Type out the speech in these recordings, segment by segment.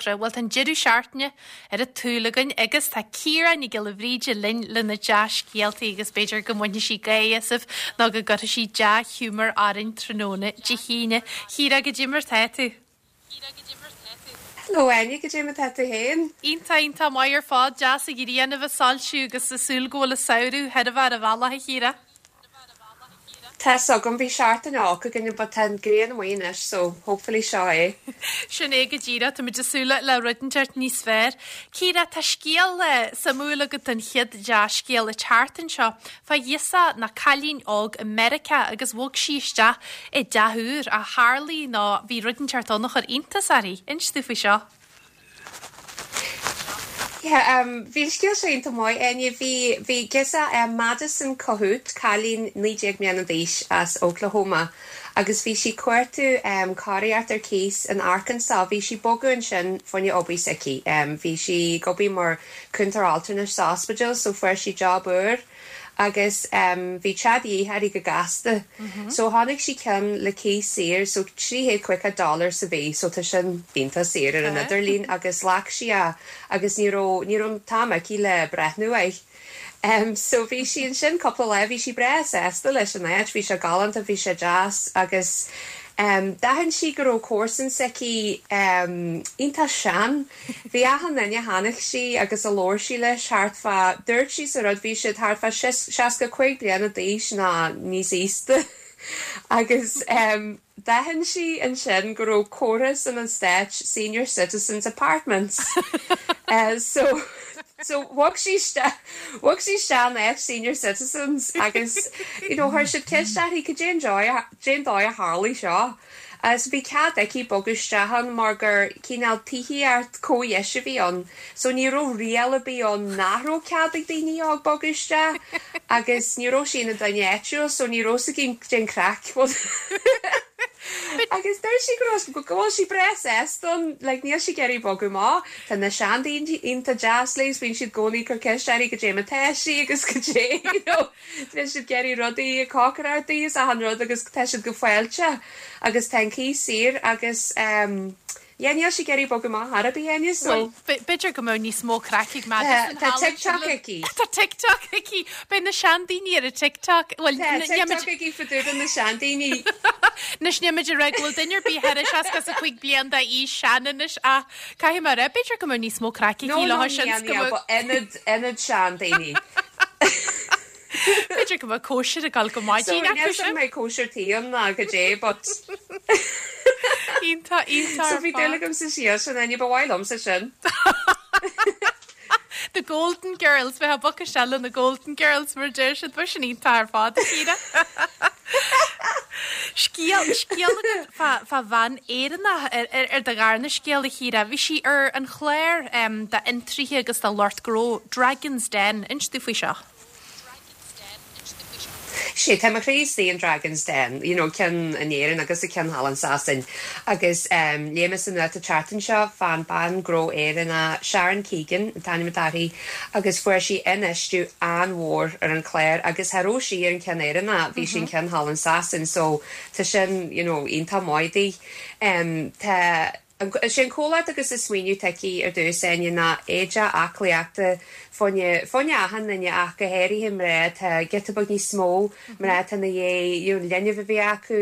Laochra. Bhuel, tá an deireadh seachtaine ar an tsúil againn agus tá Ciara Nic Giolla Bhríde linn lena dea-scéaltaí agus b'fhéidir go mbainfidh sí gáire asaibh nó go gcuirfidh sí dea-ghiúmar orainn tráthnóna Dé hAoine. Chiara, goidé mar tá tú? Hello Áine, goidé mar tá tú féin? Iontach, iontach maith ar fad, deas an ghrian a bheith ag soilsiú agus ag súil go bhfuil an samhradh chóir a bheith ar an bhealach a Chiara. Tá's agam, bhí seachtain olc againn but tá an ghrian amuigh anois so hopefully seo é. Sin é go díreach, táimid ag súil le rud inteacht níos fearr. Ciara, tá scéal suimiúil agat don chéad dea-scéal an tseachtain seo fá ghirseach nó cailín óg i Meiriceá agus bhog sí isteach i dteach úr ach tharlaigh nó bhí rud inteacht ann a chuir iontas uirthi. Inis domh faoi seo. Yeah, um, bhí an scéal seo iontach maith, Áine. Bhí, bhí girseach, um, Madison Kohout, cailín 19 mbliana d'aois as Oklahoma, agus bhí sí cuartú, um, cóiríocht ar cíos in Arkansas. Bhí sí bogadh ansin fá choinne obair s'aici. Um, bhí sí ag obair mar cúntóir altranais sa ospidéal, so fuair sí job úr. agus bhí teach de dhíth uirthi go gasta so chonaic sí ceann le cíos saor so 350 dollar sa mhí so tá sin iontach saor ar an idirlíon agus ghlac sí é agus ní raibh ní raibh an t-am aici le breathnú air. So bhí sí ansin cúpla lá bhí sí breá sásta leis an áit bhí sé galánta bhí sé deas agus d'aithin sí go raibh comharsan s'aici iontach sean Bhí achan duine a chonaic sí agus a labhair sí leis thart fá, dúirt sí sa rud, bhí siad thart fá 65 bliana d'aois nó níos aosta agus d'aithin sí ansin go raibh comhartha san an Stáit Senior Citizens Apartments so so bhog sí isteach bhog sí isteach in áit Senior Citizens agus you know chuir siad ceist uirthi cad é an dóigh cén dóigh a tharlaigh seo. So bhí cead aici bogadh isteach ann mar gur cineál tithíocht comhdheise a bhí ann. So ní raibh riail ar bith ann nach raibh cead ag daoine óg bogadh isteach agus ní raibh sí ina duine áitiúil so ní raibh 's aici cén craic. Agus dúirt sí go raibh go bhfuil sí breá sásta ann like níl sí ag iarraidh bogadh amach. Tá na seandaoine iontach deas léi is bíonn siad i gcónaí ag cur ceist uirthi goidé mar tá sí agus goidé you know. Bíonn siad ag iarraidh rudaí ag cócaireacht di is achan rud agus tá siad go fáilteach agus tá an cíos saor agus ehm yeah níl sí ag iarraidh bogadh amach ar bith Áine so. Bhuel b'fhéidir go mbeadh níos mó craic ag Madison Tá TikTok aici. Tá TikTok aici. Beidh na seandaoine ar an TikTok. Bhuel Tá TikTok aici fá dtaobh de na seandaoine. Anois níl muid ag rá go bhfuil duine ar bith thar 65 bliain d'aois sean anois ach caithfidh mé a rá b'fhéidir go mbeadh níos mó craic aici No no leo sin níl níl but ionad ionad seandaoine. B'fhéidir go mbeadh cóisir ag dul go maidin So acu níl sin. mbeidh cóisir tí ann ná goidé but Iontach, iontach So ar bhí dúil fad. agam sa scéal sin Áine, ba mhaith liomsa sin. The Golden Girls, bheith ag bogadh isteach le na Golden Girls mar a deir siad, bheadh sin iontach ar fad, a Chiara. Scéal, scéal agat fá, fá bhean Éireannach ar, ar, ar do dharna scéal, a Chiara. Bhí sí ar an chlár um, d'fhiontraithe agus do lucht gnó, Dragon's Den. Inis domh faoi seo. Sea, tá mo chroí istigh in Dragon's Den, you know, ceann in Éirinn agus an ceann thall in Sasain. Agus um, léigh mé sa nuacht an tseachtain seo fán bean gnó Éireannach Sharon Keegan, an t-ainm atá uirthi, agus fuair sí infheistiú an-mhór ar an chlár agus cha raibh sí ar an ceann Éireannach, bhí sí an ceann thall in Sasain, so tá sin, you know, iontach maith di. Um, tá Is é an comhlacht agus an smaoineamh atá aici ar dtús, Áine, ná éide aclaíochta fá choinne, fá choinne achan duine ach go háirithe mná atá giota beag níos mó, mná atá ina dhiaidh you know linbh a bheith acu,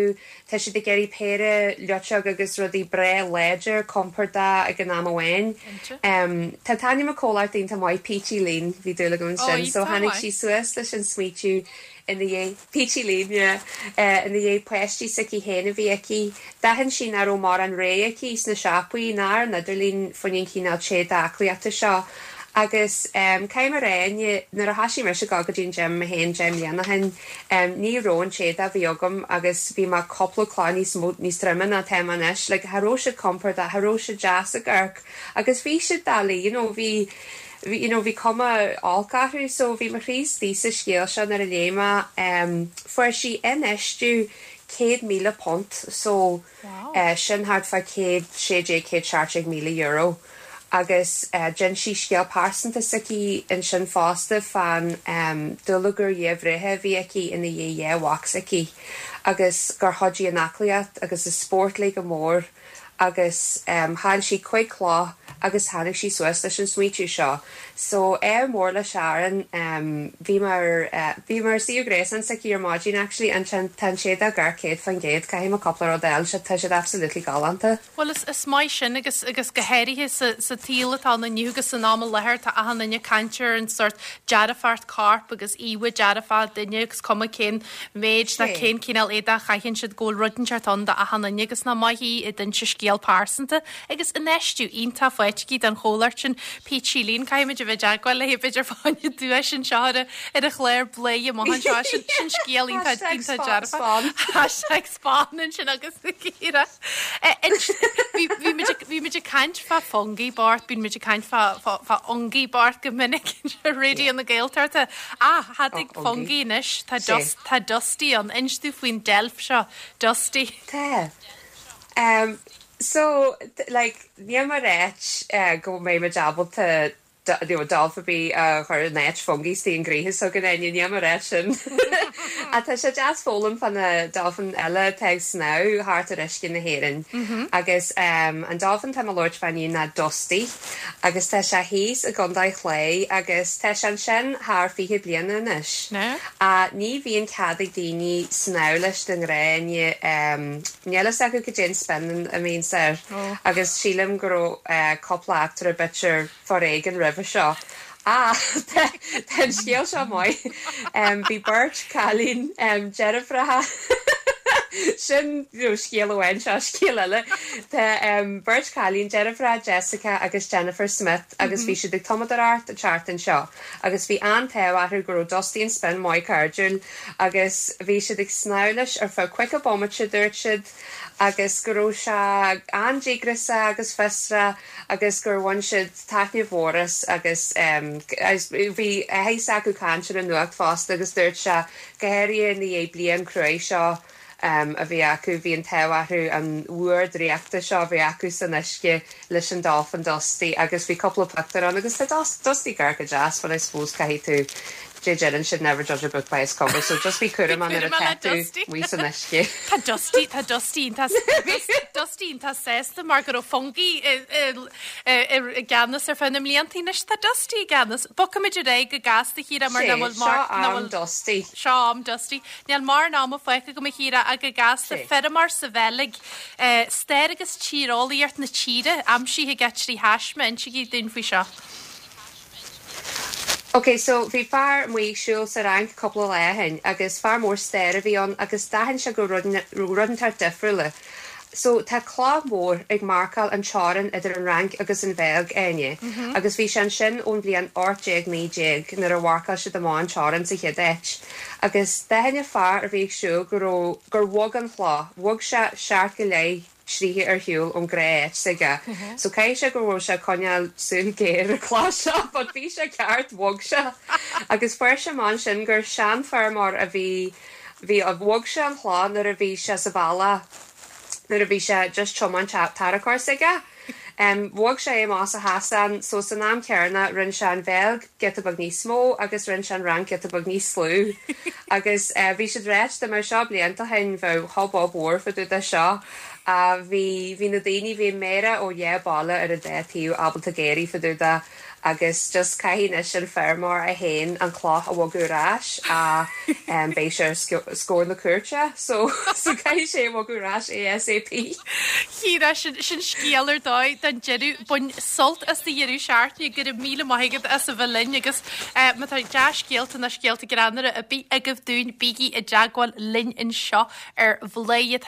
tá siad ag iarraidh péire luiteog agus rudaí breá láidir, compordach ag an am amháin. Tá t-ainm an comhlacht iontach maith, Peachy Lean, bhí dúil agam ansin, so tháinig sí suas leis an smaoitiú ina dhiaidh. Peachy Lean, yeah. Ina dhiaidh páistí s'aici féin a bhí aici. D'aithin sí nach raibh mórán rogha aici sna siopaí ná ar an idirlíon fá choinne an chineál t-éadaí aclaíochta seo. Agus caithfidh mé a rá, nuair a thoisigh mise ag dul go dtí an gym mé féin 10 mbliana ó shin, ní raibh an t-éadach a bhí agam agus bhí mé cúpla clog níos mó, níos troime ná atá mé anois. Like, cha raibh siad compordach, cha raibh siad deas ag amharc agus bhí siad doiligh, you know, bhí, bhí, you know, bhí cuma olc orthu so bhí mo chroí istigh sa scéal seo nuair a léigh mé em fuair sí infheistiú £100,000 so eh sin thart fá 116, 117,000 euro agus eh d'ins sí scéal pearsanta s'aici ansin fosta fán em dúlagar dhiaidh bhreithe a bhí aici ina dhiaidh dhá mhac s'aici agus gur chuidigh an aclaíocht agus an spórt léi go mór. agus chaill sí 5 clog. agus tháinig sí suas leis an smaoitiú seo. So, ádh mór le Sharon, bhí mé ar, bhí mé ar suíomh gréasáin s'aici ar maidin actually and tá an t-éadach gar 100%, caithfidh mé cúpla rud a fháil, tá siad absolutely galánta. Bhuel is, is maith sin agus, agus go háirithe sa, sa tsaol atá ann inniu agus san am i láthair tá achan duine ag caint ar an sórt dearfacht coirp agus íomha dearfach duine agus cuma cén méid ná cén cineál éadach a chaitheann siad go bhfuil rud inteacht ann do achan duine agus nach maith í ag inse scéal pearsanta Agus infheistiú iontach faighte aici don chomhlacht sin, Peachylean, caithfimid a bheith i dteagmháil léi b'fhéidir fá choinne duais anseo ar an chlár Bladhaire amach anseo. Sin sin scéal iontach iontach dearfach. Hashtag spon ansin agus Ciara. Bhí bhí muid ag bhí muid ag caint fá Fungie bocht, bíonn muid ag caint fá fá fá Ungie bocht go minic ar Raidió na Gaeltachta. Ach cha dtig Fungie anois, tá Dust tá Dusty ann. Inis dúinn faoin deilf seo, Dusty. Tá. Um so like níl mé ag ráit go mbeidh muid ábalta you know deilf ar bith a chur in áit Fungie istigh i ngnóthaí s'againn Áine, níl mé ag ráit sin. Ach tá sé deas foghlaim fá na dolphin eile atá ag snámh thart ar uisce na hÉireann. Agus um an dolphin atá mé ag labhairt fá inniu ná Dusty agus tá sé thíos i gContae Chláir agus tá sé ansin thar 20 bliana anois. Ach ní bhíonn cead ag daoine snámh leis de ghnáth, níl fhios acu cad é an spin a bhíonns air agus sílim go raibh cúpla eachtra b'fhéidir foréigin roimhe seo. Ach tá an scéal seo maith. Bhí beirt cailín deirfiúracha, sin scéal amháin, seo scéal eile. Tá beirt cailín deirfiúracha Jessica agus Jennifer Smith agus bhí siad ag tumadóireacht an tseachtain seo. agus bhí an-t-ádh orthu go raibh Dusty an Spin maith cairdiúil agus bhí siad ag snámh leis ar feadh caoga bomaite dúirt siad agus go raibh sé an-díograiseach agus fiosrach agus gur bhain siad taitneamh mhór as agus bhí áthas acu caint ar an nuacht fosta agus dúirt sé go háirithe i ndiaidh bliain cruaidh seo a bhí acu. Bhí an t-ádh orthu an uair draíochta seo a bheith acu san uisce leis an dolphin Dusty agus bhí cúpla pictiúr ann agus tá Dusty gar go deas but I suppose caithfidh tú dé deireann siad never judge a book by its cover so just bí cúramach nuair atá tú amuigh san uisce. Tá Dusty, tá Dusty iontach, Dusty iontach sásta mar go raibh Fungie i gceannas ar feadh na mblianta anois tá Dusty i gceannas. Bogfaimid ar aghaidh go gasta a Chiara mar nach bhfuil mar, nach bhfuil. Seo am Dusty. Seo am Dusty. Níl mórán ama fágtha agam a Chiara ach go gasta feirmeoir sa Bheilg, stair agus tíreolaíocht na tíre aimsithe aige 3 thaisme, insígí dúinn faoi seo. Ok so bhí fear amuigh ag siúl sa Fhrainc cúpla lá ó shin agus fear mór staire a bhí ann agus d'aithin sé go raibh rud inteacht difriúil. So tá cloch mhór ag marcáil an teorainn idir an Fhrainc agus an Bheilg, Áine, agus bhí sé ansin ón bhliain 1819 nuair a mharcáil siad amach an teorainn sa chéad áit. Agus d'aithin an fear a bhí ag siúl go raibh, gur bhog an chloch, bhog sé seacht go leith troithe ar shiúl ón ghnáth áit s'aige. So caithfidh sé go raibh sé ag coinneáil súil géar ar an chloch seo but bhí sé ceart, bhog sé. Agus fuair sé amach ansin gur seanfheirmeoir a bhí Bhí, bhog sé an chloch nuair a bhí sé sa bhealach, nuair a bhí sé just tiomáint tarracóir s'aige. Bhog sé é amach sa chasán so san am céanna rinne sé an Bheilg giota beag níos mó agus rinne sé an Fhrainc giota beag níos lú. Agus bhí siad ráit dá mbeadh seo blianta ó shin bheadh hubbub mhór fá dtaobh de seo. Bhí, bhí na daoine, bhí an méara ó dhá baile ar an dá taobh ábalta géirí fá dtaobh de. Agus just caithfidh anois an feirmeoir é féin an cloch a bhogadh ar ais ach beidh sé ar scór na cúirte so so caithfidh sé é bhogadh ar ais ASAP. Ciara, sin sin scéal ar dóigh don deireadh. Bain sult as do dheireadh seachtaine. Go raibh míle maith agat as a bheith linn agus má tá dea-scéalta nó scéalta greannmhara ar bith agaibh dúinn bígí i dteagmháil linn anseo ar Bhladhaire.